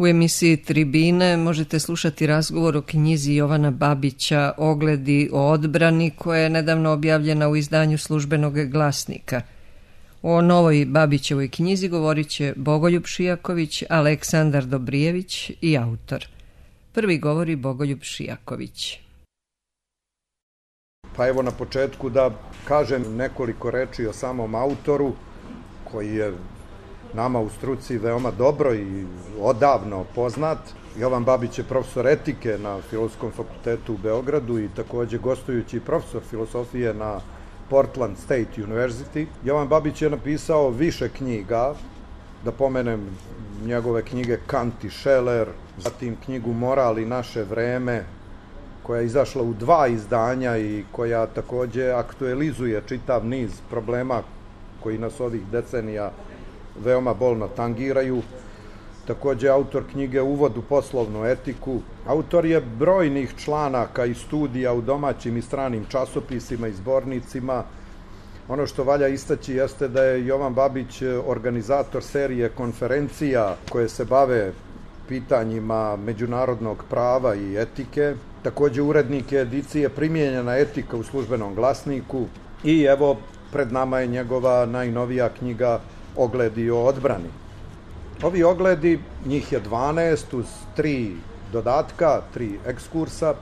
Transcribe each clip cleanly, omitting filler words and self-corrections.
U emisiji Tribine možete slušati razgovor o knjizi Jovana Babića Ogledi o odbrani, koja je nedavno objavljena u izdanju Službenog glasnika. O novoj Babićevoj knjizi govorit će Bogoljub Šijaković, Aleksandar Dobrijević i autor. Prvi govori Bogoljub Šijaković. Pa evo na početku da kažem nekoliko reči o samom autoru, koji je nama u struci veoma dobro i odavno poznat. Jovan Babić je profesor etike na Filozofskom fakultetu u Beogradu i takođe gostujući profesor filosofije na Portland State University. Jovan Babić je napisao više knjiga, da pomenem njegove knjige Kant i Scheler, zatim knjigu Moral i naše vreme, koja je izašla u 2 izdanja i koja takođe aktualizuje čitav niz problema koji nas ovih decenija veoma bolno tangiraju. Takođe autor knjige Uvod u poslovnu etiku. Autor je brojnih članaka i studija u domaćim i stranim časopisima i zbornicima. Ono što valja istaći jeste da je Jovan Babić organizator serije konferencija koje se bave pitanjima međunarodnog prava i etike. Takođe urednik je edicije Primijenjena etika u Službenom glasniku i evo pred nama je njegova najnovija knjiga Ogledi o odbrani. Ovi ogledi, njih je 12 uz 3 dodatka, 3 ekskursa,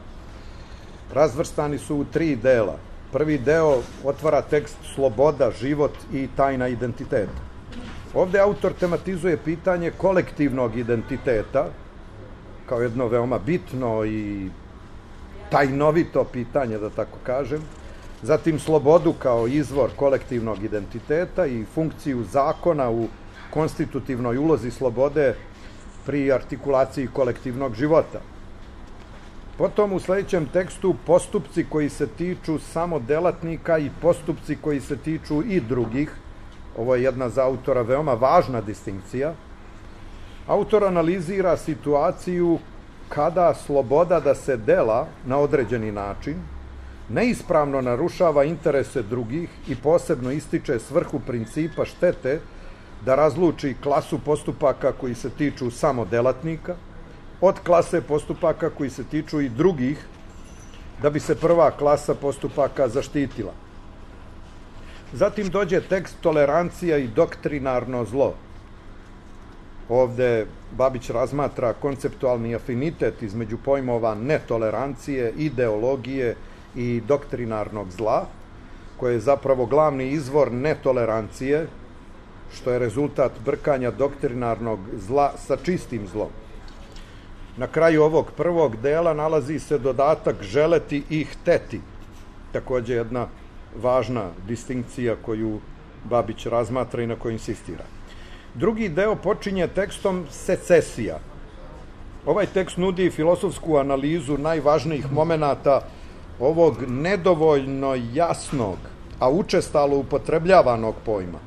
razvrstani su u 3 dela. Prvi deo otvara tekst Sloboda, život i tajna identiteta. Ovde autor tematizuje pitanje kolektivnog identiteta kao jedno veoma bitno i tajnovito pitanje, da tako kažem. Zatim slobodu kao izvor kolektivnog identiteta i funkciju zakona u konstitutivnoj ulozi slobode pri artikulaciji kolektivnog života. Potom u sledećem tekstu postupci koji se tiču samo delatnika i postupci koji se tiču i drugih. Ovo je jedna za autora veoma važna distinkcija. Autor analizira situaciju kada sloboda da se dela na određeni način neispravno narušava interese drugih i posebno ističe svrhu principa štete da razluči klasu postupaka koji se tiču samo delatnika od klase postupaka koji se tiču i drugih, da bi se prva klasa postupaka zaštitila. Zatim dođe tekst Tolerancija i doktrinarno zlo. Ovde Babić razmatra konceptualni afinitet između pojmova netolerancije, ideologije i doktrinarnog zla, koje je zapravo glavni izvor netolerancije, što je rezultat brkanja doktrinarnog zla sa čistim zlom. Na kraju ovog prvog dela nalazi se dodatak želeti i hteti, takođe jedna važna distinkcija koju Babić razmatra i na kojoj insistira. Drugi deo počinje tekstom secesija. Ovaj tekst nudi filozofsku analizu najvažnijih momenata ovog nedovoljno jasnog, a učestalo upotrebljavanog pojma.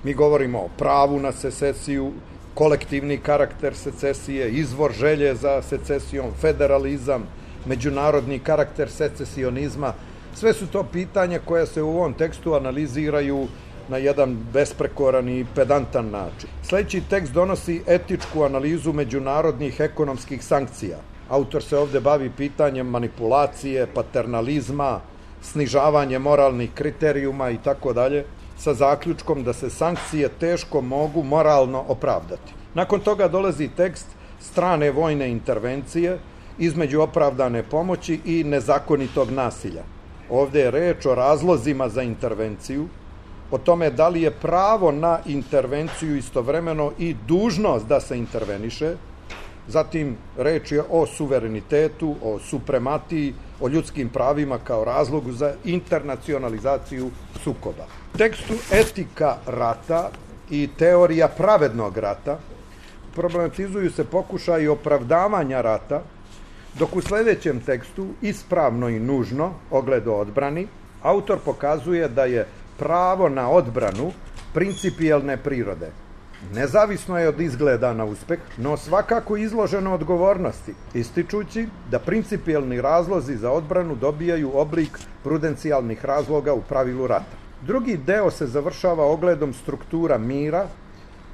Mi govorimo o pravu na secesiju, kolektivni karakter secesije, izvor želje za secesijom, federalizam, međunarodni karakter secesionizma. Sve su to pitanja koja se u ovom tekstu analiziraju na jedan besprekoran i pedantan način. Sledeći tekst donosi etičku analizu međunarodnih ekonomskih sankcija. Autor se ovde bavi pitanjem manipulacije, paternalizma, snižavanje moralnih kriterijuma i tako dalje, sa zaključkom da se sankcije teško mogu moralno opravdati. Nakon toga dolazi tekst strane vojne intervencije između opravdane pomoći i nezakonitog nasilja. Ovde je reč o razlozima za intervenciju, o tome da li je pravo na intervenciju istovremeno i dužnost da se interveniše, zatim reč je o suverenitetu, o suprematiji, o ljudskim pravima kao razlogu za internacionalizaciju sukoba. U tekstu Etika rata i teorija pravednog rata problematizuju se pokušaji opravdavanja rata, dok u sledećem tekstu Ispravno i nužno, ogled o odbrani, autor pokazuje da je pravo na odbranu principijelne prirode. Nezavisno je od izgleda na uspeh, no svakako izloženo odgovornosti, ističući da principijelni razlozi za odbranu dobijaju oblik prudencijalnih razloga u pravilu rata. Drugi deo se završava ogledom struktura mira,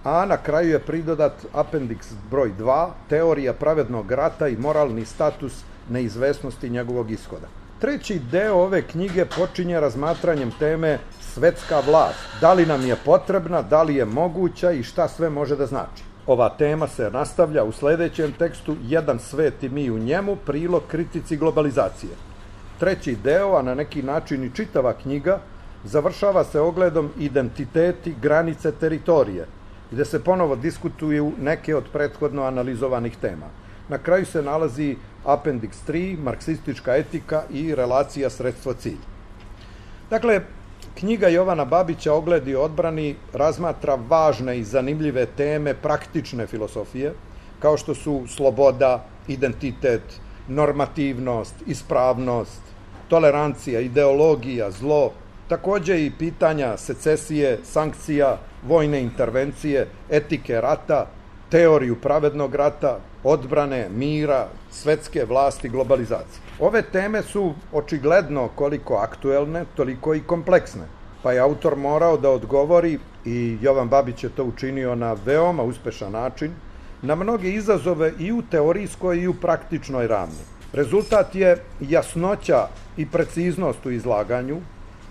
a na kraju je pridodat apendiks broj 2, teorija pravednog rata i moralni status neizvesnosti njegovog ishoda. Treći deo ove knjige počinje razmatranjem teme svetska vlast. Da li nam je potrebna, da li je moguća i šta sve može da znači. Ova tema se nastavlja u sledećem tekstu Jedan svet i mi u njemu, prilog kritici globalizacije. Treći deo, a na neki način i čitava knjiga, završava se ogledom identiteti, granice, teritorije, gde se ponovo diskutuju neke od prethodno analizovanih tema. Na kraju se nalazi apendiks 3, marksistička etika i relacija sredstvo-cilj. Dakle, knjiga Jovana Babića Ogled i odbrani razmatra važne i zanimljive teme praktične filosofije, kao što su sloboda, identitet, normativnost, ispravnost, tolerancija, ideologija, zlo, takođe i pitanja secesije, sankcija, vojne intervencije, etike rata, teoriju pravednog rata, odbrane, mira, svetske vlasti, globalizacije. Ove teme su očigledno koliko aktuelne, toliko i kompleksne, pa je autor morao da odgovori, i Jovan Babić je to učinio na veoma uspešan način, na mnoge izazove i u teorijskoj i u praktičnoj ravni. Rezultat je jasnoća i preciznost u izlaganju,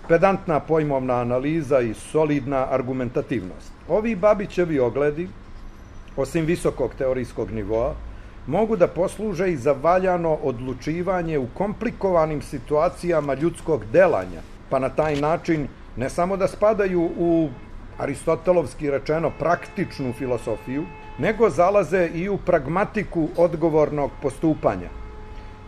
pedantna pojmovna analiza i solidna argumentativnost. Ovi Babićevi ogledi, osim visokog teorijskog nivoa, mogu da posluže i za valjano odlučivanje u komplikovanim situacijama ljudskog delanja, pa na taj način ne samo da spadaju u aristotelovski rečeno praktičnu filosofiju, nego zalaze i u pragmatiku odgovornog postupanja.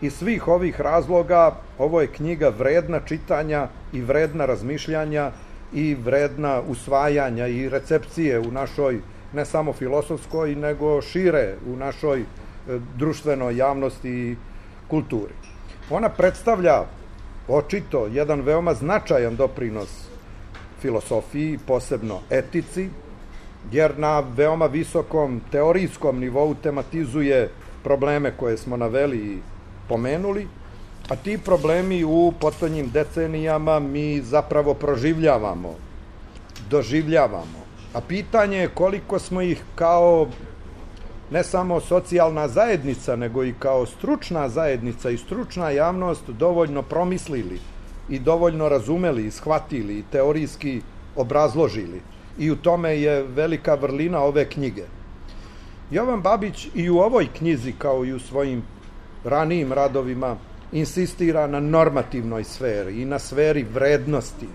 Iz svih ovih razloga ovo je knjiga vredna čitanja i vredna razmišljanja i vredna usvajanja i recepcije u našoj ne samo filosofskoj, nego šire u našoj društvenoj javnosti i kulturi. Ona predstavlja očito jedan veoma značajan doprinos filosofiji, posebno etici, jer na veoma visokom teorijskom nivou tematizuje probleme koje smo naveli i pomenuli, a ti problemi u poslednjim decenijama mi zapravo proživljavamo, doživljavamo. A pitanje je koliko smo ih kao ne samo socijalna zajednica, nego i kao stručna zajednica i stručna javnost dovoljno promislili i dovoljno razumeli i shvatili i teorijski obrazložili. I u tome je velika vrlina ove knjige. Jovan Babić i u ovoj knjizi, kao i u svojim ranijim radovima, insistira na normativnoj sferi i na sferi vrednosti.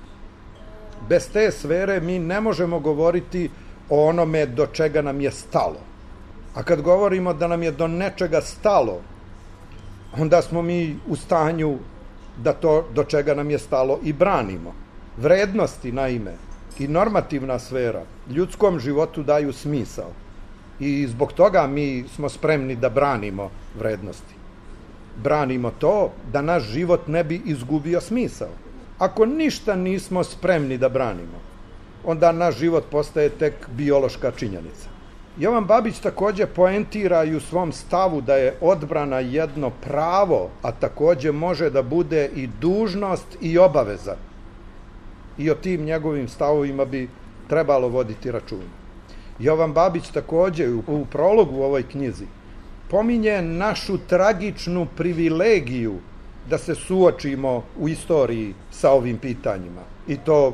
Bez te sfere mi ne možemo govoriti o onome do čega nam je stalo. A kad govorimo da nam je do nečega stalo, onda smo mi u stanju da to do čega nam je stalo i branimo. Vrednosti, naime, i normativna sfera ljudskom životu daju smisao. I zbog toga mi smo spremni da branimo vrednosti. Branimo to da naš život ne bi izgubio smisao. Ako ništa nismo spremni da branimo, onda naš život postaje tek biološka činjenica. Jovan Babić takođe poentira i u svom stavu da je odbrana jedno pravo, a takođe može da bude i dužnost i obaveza. I o tim njegovim stavovima bi trebalo voditi računa. Jovan Babić takođe u prologu u ovoj knjizi pominje našu tragičnu privilegiju da se suočimo u istoriji sa ovim pitanjima. I to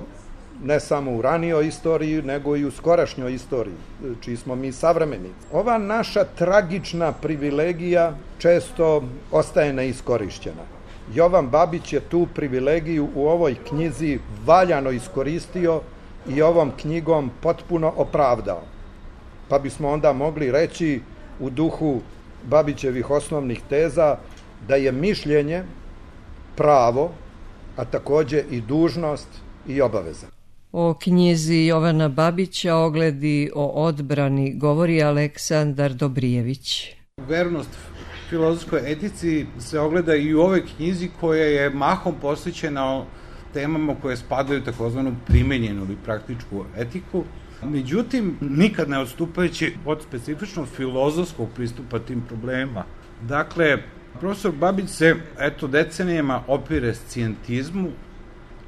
ne samo u ranijoj istoriji, nego i u skorašnjoj istoriji, čiji smo mi savremenici. Ova naša tragična privilegija često ostaje neiskorišćena. Jovan Babić je tu privilegiju u ovoj knjizi valjano iskoristio i ovom knjigom potpuno opravdao. Pa bismo onda mogli reći u duhu Babićevih osnovnih teza da je mišljenje pravo, a takođe i dužnost i obaveza. O knjizi Jovana Babića Ogledi o odbrani govori Aleksandar Dobrijević. Vernost filozofskoj etici se ogleda i u ovoj knjizi koja je mahom posvećena temama koje spadaju takozvanu primenjenu ili praktičku etiku. Međutim, nikad ne odstupajući od specifično filozofskog pristupa tim problemima. Dakle, profesor Babić se, decenijama opire scijentizmu,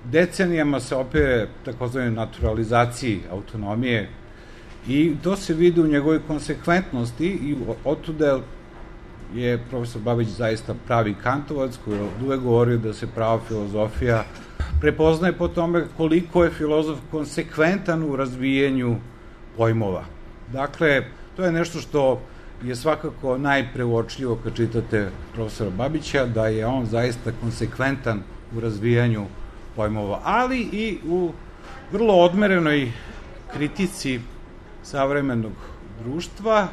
decenijama se opire takozvanoj naturalizaciji autonomije I to se vidi u njegovoj konsekventnosti i otuda je profesor Babić zaista pravi kantovac koji je uvek govorio da se prava filozofija prepoznaje po tome koliko je filozof konsekventan u razvijenju pojmova. Dakle, to je nešto što je svakako najpreuočljivo kad čitate profesora Babića, da je on zaista konsekventan u razvijanju pojmova, ali i u vrlo odmerenoj kritici savremenog društva,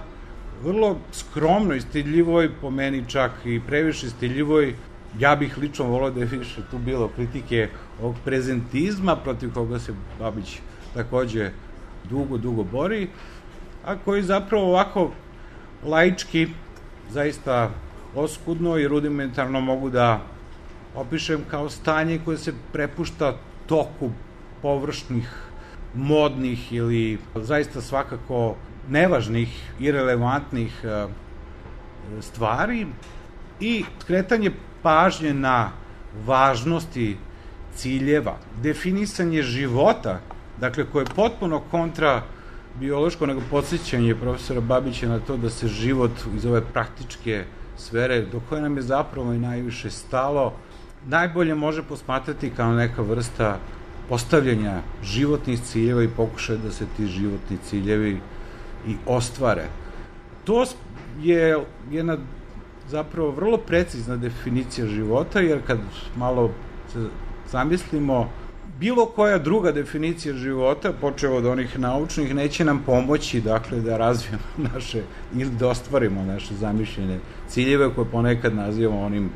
vrlo skromnoj, stidljivoj, po meni čak i previše stidljivoj. Ja bih lično volao da je više tu bilo kritike ovog prezentizma protiv koga se Babić takođe dugo bori, a koji zapravo ovako laički, zaista oskudno i rudimentarno mogu da opišem kao stanje koje se prepušta toku površnih, modnih ili zaista svakako nevažnih, irelevantnih stvari i skretanje pažnje na važnosti ciljeva, definisanje života, dakle koje je potpuno kontra biološko, nego podsjećanje profesora Babića na to da se život iz ove praktičke sfere, do koje nam je zapravo i najviše stalo, najbolje može posmatrati kao neka vrsta postavljanja životnih ciljeva i pokušaja da se ti životni ciljevi i ostvare. To je jedna zapravo vrlo precizna definicija života, jer kad malo se zamislimo, bilo koja druga definicija života, počeo od onih naučnih, neće nam pomoći, dakle, da razvijemo naše, ili da ostvarimo naše zamišljene ciljeve, koje ponekad nazivamo onim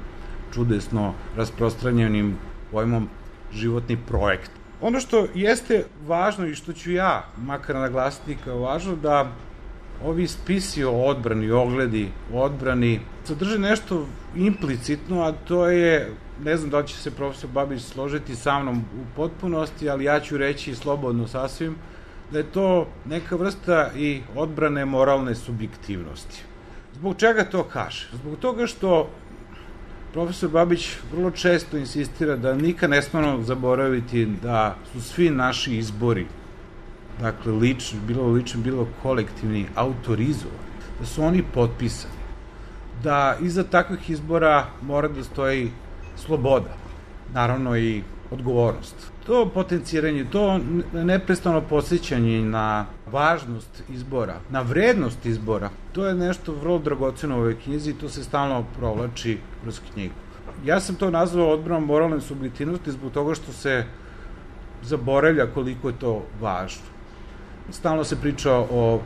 čudesno rasprostranjenim pojmom životni projekt. Ono što jeste važno i što ću ja, makar naglasiti kao važno, da ovi spisi o odbrani, ogledi o odbrani, sadrže nešto implicitno, a to je, ne znam da li će se profesor Babić složiti sa mnom u potpunosti, ali ja ću reći slobodno sasvim, da je to neka vrsta i odbrane moralne subjektivnosti. Zbog čega to kaže? Zbog toga što profesor Babić vrlo često insistira da nikad ne smemo zaboraviti da su svi naši izbori, dakle lični, bilo kolektivni, autorizovani, da su oni potpisani, da iza takvih izbora mora da stoji sloboda, naravno i odgovornost. To potenciranje, to neprestano podsjećanje na važnost izbora, na vrednost izbora, to je nešto vrlo dragoceno u ovoj knjizi i to se stalno provlači kroz knjigu. Ja sam to nazvao odbranom moralne subjektivnosti zbog toga što se zaboravlja koliko je to važno. Stalno se priča o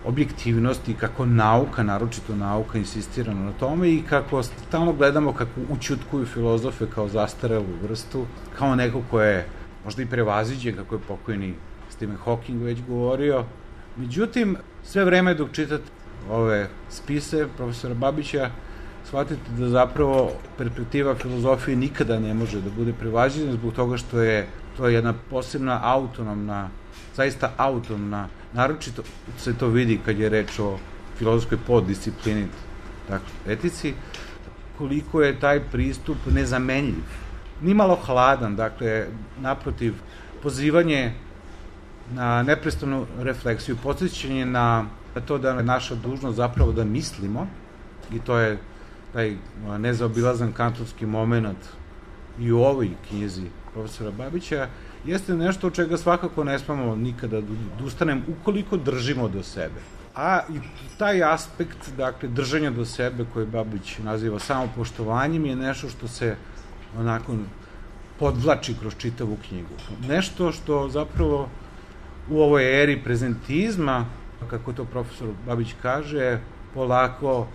objektivnosti, kako nauka, naročito nauka, insistira na tome i kako stalno gledamo kako ućutkuju filozofe kao zastarelu vrstu, kao neko ko je možda i prevaziđen, kako je pokojni Stephen Hawking već govorio. Međutim, sve vreme dok čitate ove spise profesora Babića, shvatite da zapravo perspektiva filozofije nikada ne može da bude prevaziđena zbog toga što je to jedna posebna autonomna, zaista autonomna, naročito se to vidi kad je reč o filozofskoj poddisciplini, dakle, etici, koliko je taj pristup nezamenljiv. Nimalo hladan, dakle, naprotiv, pozivanje na neprestanu refleksiju, podsjećanje na to da je naša dužnost zapravo da mislimo, i to je taj nezaobilazan kantovski moment i u ovoj knjizi profesora Babića, jeste nešto od čega svakako ne smemo nikada da ustanemo ukoliko držimo do sebe. A i taj aspekt, dakle, držanja do sebe, koji Babić naziva samopoštovanjem, je nešto što se onako podvlači kroz čitavu knjigu. Nešto što zapravo u ovoj eri prezentizma, kako to profesor Babić kaže, polako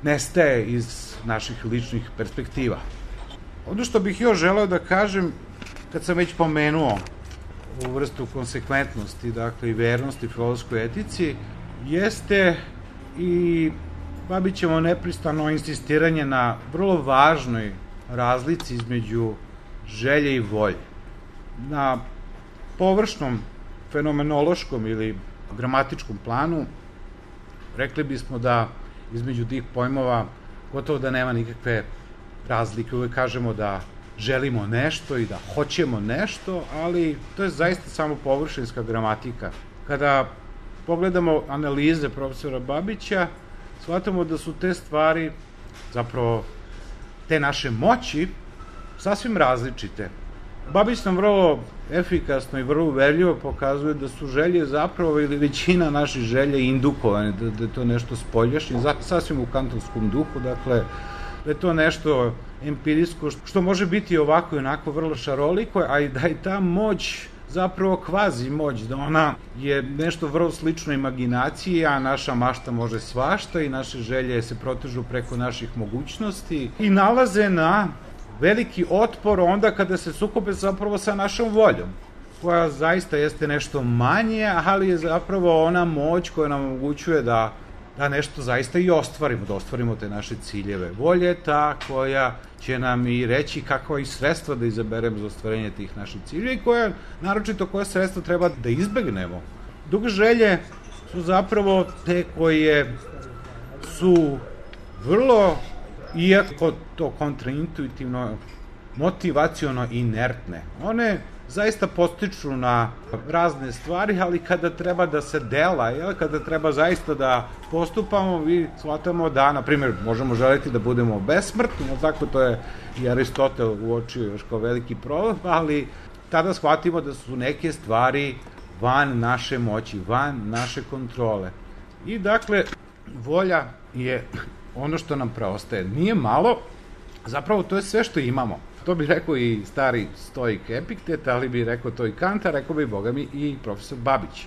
nestaje iz naših ličnih perspektiva. Ono što bih još želeo da kažem, kad sam već pomenuo ovu vrstu konsekventnosti, dakle i vernosti filozofskoj etici, jeste i Babićevo neprestano insistiranje na vrlo važnoj razlici između želje i volje. Na površnom fenomenološkom ili gramatičkom planu rekli bismo da između tih pojmova gotovo da nema nikakve razlike. Uvek kažemo da želimo nešto i da hoćemo nešto, ali to je zaista samo površinska gramatika. Kada pogledamo analize profesora Babića, shvatamo da su te stvari, zapravo te naše moći, sasvim različite. Babić nam vrlo efikasno i vrlo uverljivo pokazuje da su želje zapravo, ili većina naših želja indukovane, da je to nešto spoljašnje, sasvim u kantonskom duhu, dakle, da je to nešto empirijsko, što može biti ovako i onako vrlo šaroliko, a i da je ta moć zapravo kvazi moć, da ona je nešto vrlo slično imaginaciji, a naša mašta može svašta i naše želje se protežu preko naših mogućnosti i nalaze na veliki otpor onda kada se sukobe zapravo sa našom voljom, koja zaista jeste nešto manje, ali je zapravo ona moć koja nam omogućuje da nešto zaista i ostvarimo, da ostvarimo te naše ciljeve. Volja je ta koja će nam i reći kakva i sredstva da izaberemo za ostvarenje tih naših ciljeva i naročito koja sredstva treba da izbegnemo. Dok želje su zapravo te koje su vrlo, iako to kontraintuitivno, motivaciono inertne. One zaista postiču na razne stvari, ali kada treba da se dela, kada treba zaista da postupamo, mi shvatamo da, na primjer, možemo želiti da budemo besmrtni, tako to je i Aristotel uočio još kao veliki problem, ali tada shvatimo da su neke stvari van naše moći, van naše kontrole. I dakle, volja je ono što nam preostaje. Nije malo, zapravo to je sve što imamo. To bi rekao i stari stoik Epiktet, ali bi rekao to i Kant, a rekao bi, boga mi, i profesor Babić.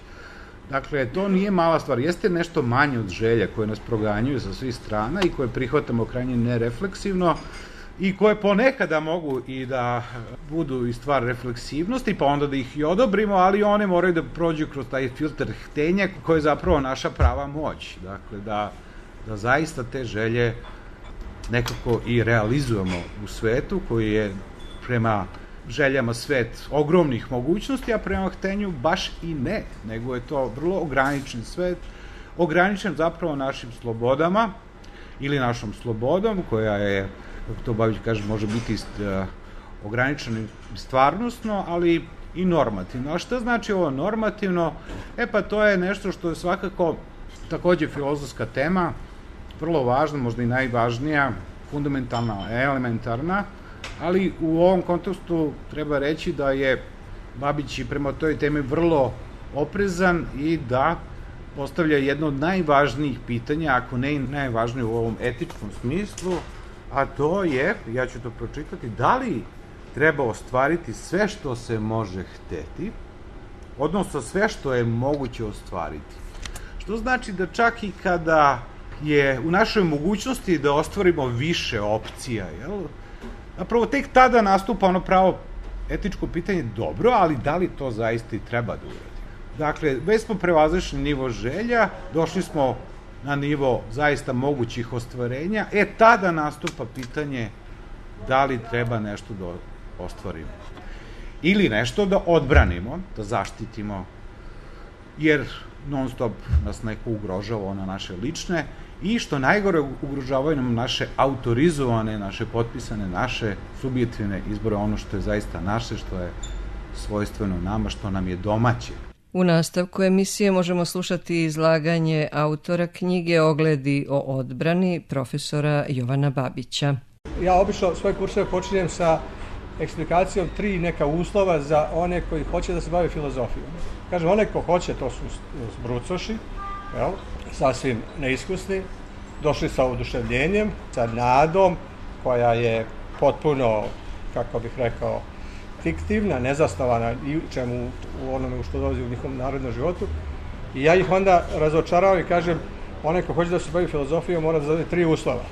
Dakle, to nije mala stvar. Jeste nešto manje od želja koje nas proganjuju sa svih strana i koje prihvatamo krajnje nerefleksivno i koje ponekada mogu i da budu i stvar refleksivnosti, pa onda da ih i odobrimo, ali one moraju da prođu kroz taj filter htenja koji je zapravo naša prava moć. Dakle, da zaista te želje nekako i realizujemo u svetu koji je prema željama svet ogromnih mogućnosti, a prema htenju baš i ne, nego je to vrlo ograničen svet, ograničen zapravo našim slobodama ili našom slobodom koja je, kako to Babić kaže, može biti ograničena stvarnostno, ali i normativno. A šta znači ovo normativno? Pa to je nešto što je svakako takođe filozofska tema, vrlo važna, možda i najvažnija, fundamentalna, elementarna, ali u ovom kontekstu treba reći da je Babić i prema toj temi vrlo oprezan i da postavlja jedno od najvažnijih pitanja, ako ne i najvažnije u ovom etičkom smislu, a to je, ja ću to pročitati, da li treba ostvariti sve što se može hteti, odnosno sve što je moguće ostvariti. Što znači da čak i kada je u našoj mogućnosti da ostvarimo više opcija, zapravo tek tada nastupa ono pravo etičko pitanje, dobro, ali da li to zaista i treba da uradi? Dakle, već smo prevazišli nivo želja, došli smo na nivo zaista mogućih ostvarenja, tada nastupa pitanje da li treba nešto da ostvarimo. Ili nešto da odbranimo, da zaštitimo, jer non stop nas neko ugrožava, ona naše lične, i što najgore ugrožavaju nam naše autorizovane, naše potpisane, naše subjektivne izbore, ono što je zaista naše, što je svojstveno nama, što nam je domaće. U nastavku emisije možemo slušati izlaganje autora knjige Ogledi o odbrani, profesora Jovana Babića. Ja obično svoje kurseve počinjem sa eksplikacijom 3 neka uslova za one koji hoće da se bave filozofijom. Kažem, one ko hoće, to su zbrucoši, sasvim neiskusni, došli sa oduševljenjem, sa nadom koja je potpuno, kako bih rekao, fiktivna, nezasnovana i čemu u onome što dolazi u njihovom narodnom životu. I ja ih onda razočaravam i kažem, onaj ko hoće da se bavi filozofijom mora da zadane 3 uslova.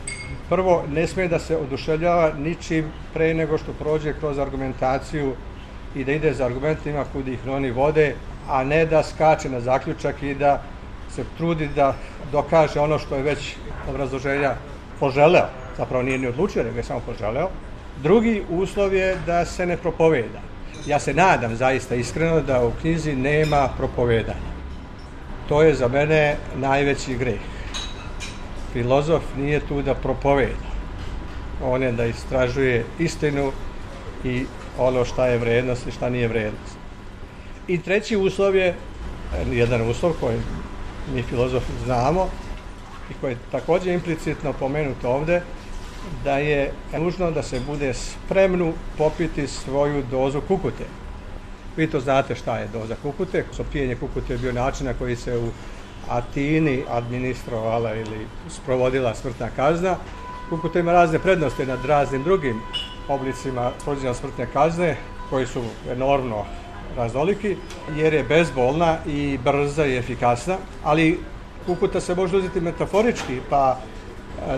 Prvo, ne smije da se oduševljava ničim pre nego što prođe kroz argumentaciju i da ide za argumentima kud ih oni vode, a ne da skače na zaključak i da se trudi da dokaže ono što je već obrazloženja poželeo. Zapravo nije ni odlučio, nego je samo poželeo. Drugi uslov je da se ne propoveda. Ja se nadam zaista iskreno da u knjizi nema propovedanja. To je za mene najveći greh. Filozof nije tu da propoveda. On je da istražuje istinu i ono šta je vrednost i šta nije vrednost. I treći uslov je, jedan uslov koji mi filozofi znamo i koje je također implicitno pomenuto ovdje, da je nužno da se bude spremno popiti svoju dozu kukute. Vi to znate šta je doza kukute. Pijenje kukute je bio način na koji se u Atini administrovala ili sprovodila smrtna kazna. Kukuta ima razne prednosti nad raznim drugim oblicima provođenja smrtne kazne, koji su enormno raznoliki, jer je bezbolna i brza i efikasna, ali kukuta se može uzeti metaforički, pa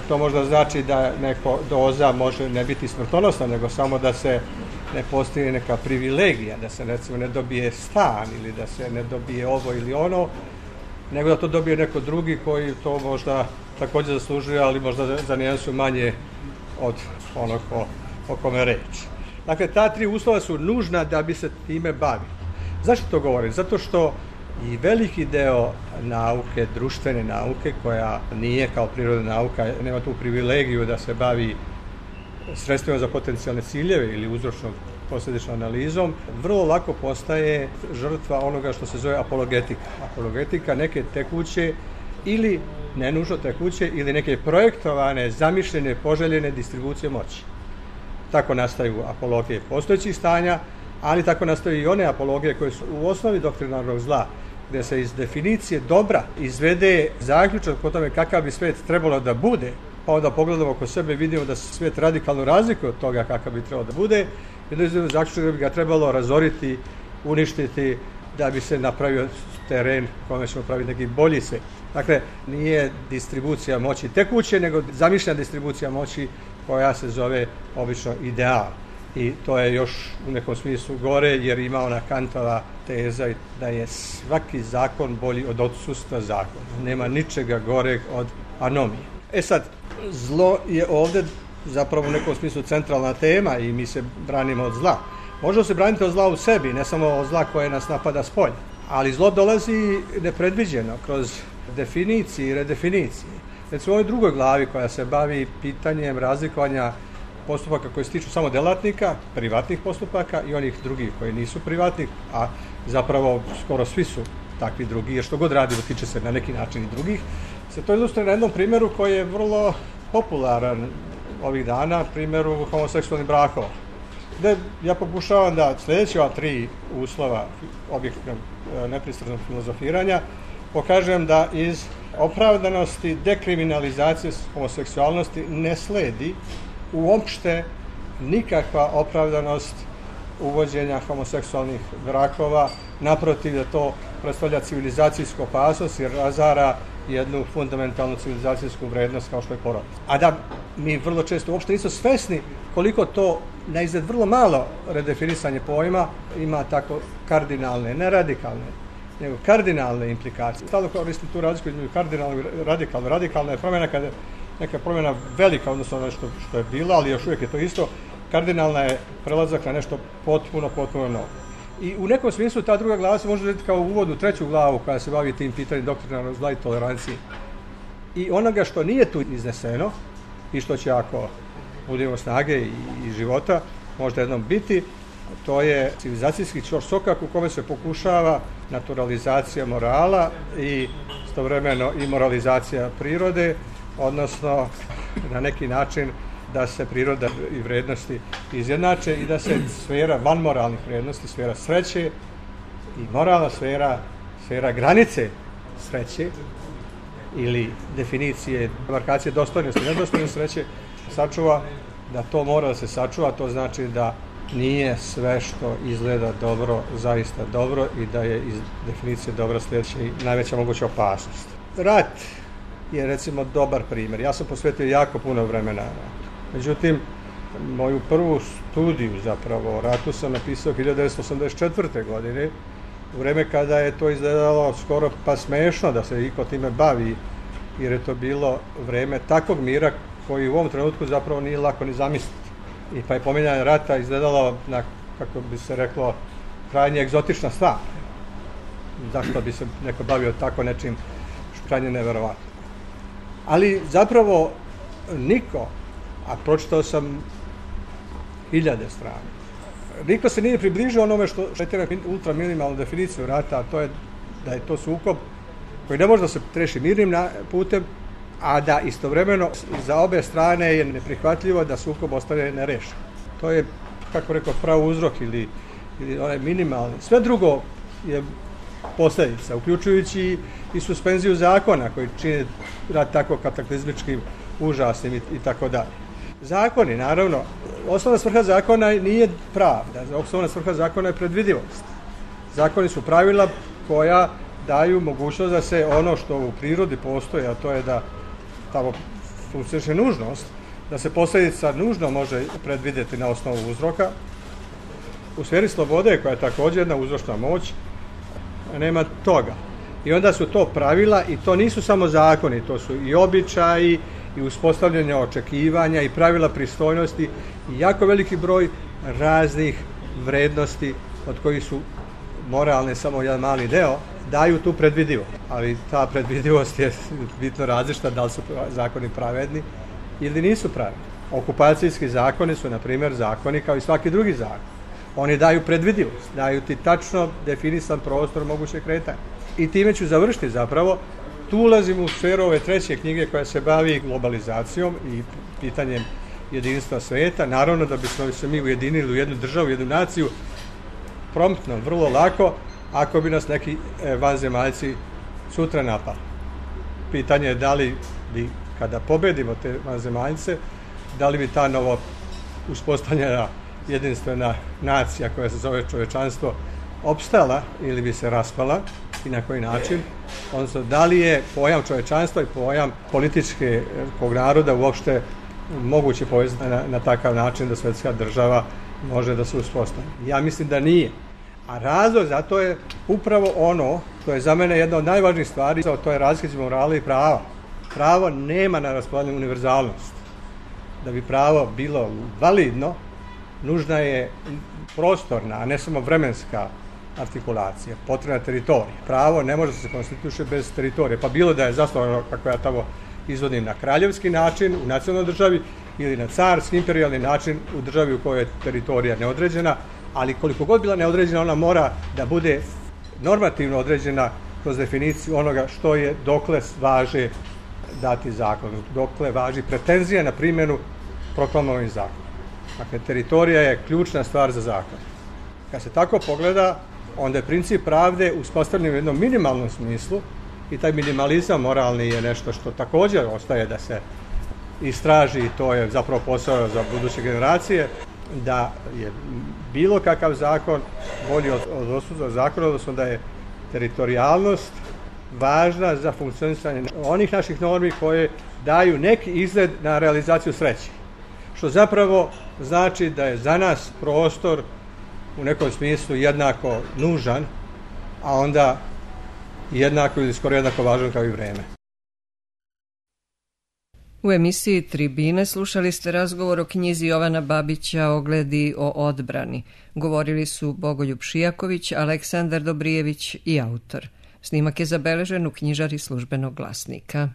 to možda znači da neko doza može ne biti smrtonosna, nego samo da se ne postigne neka privilegija, da se recimo ne dobije stan ili da se ne dobije ovo ili ono, nego da to dobije neko drugi koji to možda također zaslužuje, ali možda za nijansu manje od onog o kome reč. Dakle, ta tri uslova su nužna da bi se time bavili. Zašto to govorim? Zato što i veliki deo nauke, društvene nauke, koja nije kao prirodna nauka, nema tu privilegiju da se bavi sredstvima za potencijalne ciljeve ili uzročno-posljedičnom analizom, vrlo lako postaje žrtva onoga što se zove apologetika. Apologetika neke tekuće ili ne nužno tekuće ili neke projektovane, zamišljene, poželjene distribucije moći. Tako nastaju apologije postojećih stanja, ali tako nastaju i one apologije koje su u osnovi doktrinarnog zla, gdje se iz definicije dobra izvede zaključak o tome kakav bi svijet trebalo da bude, pa onda pogledamo oko sebe i vidimo da se svijet radikalno razlikuje od toga kakav bi trebalo da bude, i da izvedemo zaključak da bi ga trebalo razoriti, uništiti, da bi se napravio teren kome ćemo praviti neki bolji svijet. Dakle, nije distribucija moći tekuće, nego zamišljena distribucija moći koja se zove obično ideal. I to je još u nekom smislu gore, jer ima ona Kantova teza da je svaki zakon bolji od odsustva zakona. Nema ničega goreg od anomije. Sad, zlo je ovdje zapravo u nekom smislu centralna tema i mi se branimo od zla. Možemo se braniti od zla u sebi, ne samo od zla koje nas napada s polja. Ali zlo dolazi nepredviđeno kroz definicije i redefinicije. Recimo u ovoj drugoj glavi koja se bavi pitanjem razlikovanja postupaka koji se tiču samo delatnika, privatnih postupaka i onih drugih koji nisu privatni, a zapravo skoro svi su takvi drugi, jer što god radimo tiče se na neki način i drugih, se to ilustruje na jednom primjeru koji je vrlo popularan ovih dana, primjeru homoseksualnih brakova. Gde ja pokušavam da sljedeći ova tri uslova objektivnog nepristranog filozofiranja pokažem da iz opravdanosti dekriminalizacije homoseksualnosti ne sledi uopšte nikakva opravdanost uvođenja homoseksualnih brakova, naprotiv da to predstavlja civilizacijsku opasnost jer razara jednu fundamentalnu civilizacijsku vrednost kao što je porodica. A da mi vrlo često uopšte nismo svesni koliko to na izgled vrlo malo redefinisanje pojma ima tako kardinalne, ne radikalne, nego kardinalne implikacije. Stalno koristim tu razliku između kardinalno i radikalno. Radikalna je promjena kada je neka promjena velika, odnosno nešto što je bila, ali još uvijek je to isto. Kardinalna je prelazak na nešto potpuno novo. I u nekom smislu ta druga glava se može vidjeti kao uvod u treću glavu koja se bavi tim pitanjem doktrinarnog zla i tolerancije. I onoga što nije tu izneseno i što će ako budemo snage i života možda jednom biti, to je civilizacijski ćorsokak u kome se pokušava naturalizacija morala i istovremeno i moralizacija prirode, odnosno na neki način da se priroda i vrijednosti izjednače i da se sfera vanmoralnih vrijednosti, sfera sreće i moralna sfera granice sreće ili definicije, markacije dostojnosti i nedostojnosti sreće sačuva, da to mora da se sačuva, to znači da nije sve što izgleda dobro zaista dobro i da je iz definicije dobra sljedeća i najveća moguća opasnost. Rat je recimo dobar primjer. Ja sam posvetio jako puno vremena ratu. Međutim, moju prvu studiju zapravo o ratu sam napisao 1984. godine, u vrijeme kada je to izgledalo skoro pa smešno da se iko time bavi, jer je to bilo vrijeme takvog mira koji u ovom trenutku zapravo nije lako ni zamisliti. I pa je pominjanje rata izgledalo na, kako bi se reklo, krajnje egzotična stvar. Zašto bi se neko bavio tako nečim što krajnje neverovatno. Ali zapravo niko, a pročitao sam 1000 strana, niko se nije približio onome što je ultraminimalnu definiciju rata, a to je da je to sukob koji ne može da se reši mirnim putem, a da istovremeno za obe strane je neprihvatljivo da sukob ostane nerešen. To je, kako rekao, pravo uzrok ili onaj minimalni. Sve drugo je posljedica, uključujući i suspenziju zakona koji čine rad tako kataklizmičkim, užasnim i tako dalje. Zakoni, naravno, osnovna svrha zakona nije pravda, osnovna svrha zakona je predvidivost. Zakoni su pravila koja daju mogućnost da se ono što u prirodi postoji, a to je da tamo funkcioniše nužnost, da se posljedica nužno može predvidjeti na osnovu uzroka. U sferi slobode, koja je također jedna uzročna moć, nema toga. I onda su to pravila i to nisu samo zakoni, to su i običaji, i uspostavljanje očekivanja i pravila pristojnosti i jako veliki broj raznih vrednosti od kojih su moralne samo jedan mali deo, daju tu predvidivost. Ali ta predvidivost je bitno različita da li su zakoni pravedni ili nisu pravedni. Okupacijski zakoni su, na primjer, zakoni kao i svaki drugi zakon. Oni daju predvidivost, daju ti tačno definisan prostor mogućeg kretanja. I time ću završiti zapravo. Tu ulazim u sferu ove treće knjige koja se bavi globalizacijom i pitanjem jedinstva sveta. Naravno da bismo se mi ujedinili u jednu državu, jednu naciju, promptno, vrlo lako, ako bi nas neki vanzemaljci sutra napali. Pitanje je da li bi, kada pobedimo te vanzemaljce, da li bi ta novo uspostavljena jedinstvena nacija koja se zove čovečanstvo opstala ili bi se raspala i na koji način, odnosno da li je pojam čovečanstva i pojam političkog naroda uopšte moguće povezati na takav način da svjetska država može da se uspostavi. Ja mislim da nije. A razlog za to je upravo ono, to je za mene jedna od najvažnijih stvari, to je razlika između morala i prava. Pravo nema na raspolaganju univerzalnost. Da bi pravo bilo validno, nužna je prostorna, a ne samo vremenska artikulacija, potrebna teritorija. Pravo ne može se konstituiše bez teritorije, pa bilo da je zasnovano, kako ja tamo izvodim, na kraljevski način u nacionalnoj državi ili na carski, imperijalni način u državi u kojoj je teritorija neodređena, ali koliko god bila neodređena, ona mora da bude normativno određena kroz definiciju onoga što je dokle važe dati zakon, dokle važi pretenzija na primjenu proklamovanih zakona. Dakle, teritorija je ključna stvar za zakon. Kad se tako pogleda, onda je princip pravde uspostavljen u jednom minimalnom smislu i taj minimalizam moralni je nešto što također ostaje da se istraži i to je zapravo posao za buduće generacije, da je bilo kakav zakon bolji od odsutnog zakona, odnosno da je teritorijalnost važna za funkcionisanje onih naših normi koje daju neki izgled na realizaciju sreće. Što zapravo znači da je za nas prostor u nekom smislu jednako nužan, a onda jednako ili skoro jednako važan kao i vreme. U emisiji Tribine slušali ste razgovor o knjizi Jovana Babića Ogledi o odbrani. Govorili su Bogoljub Šijaković, Aleksandar Dobrijević i autor. Snimak je zabeležen u knjižari Službenog glasnika.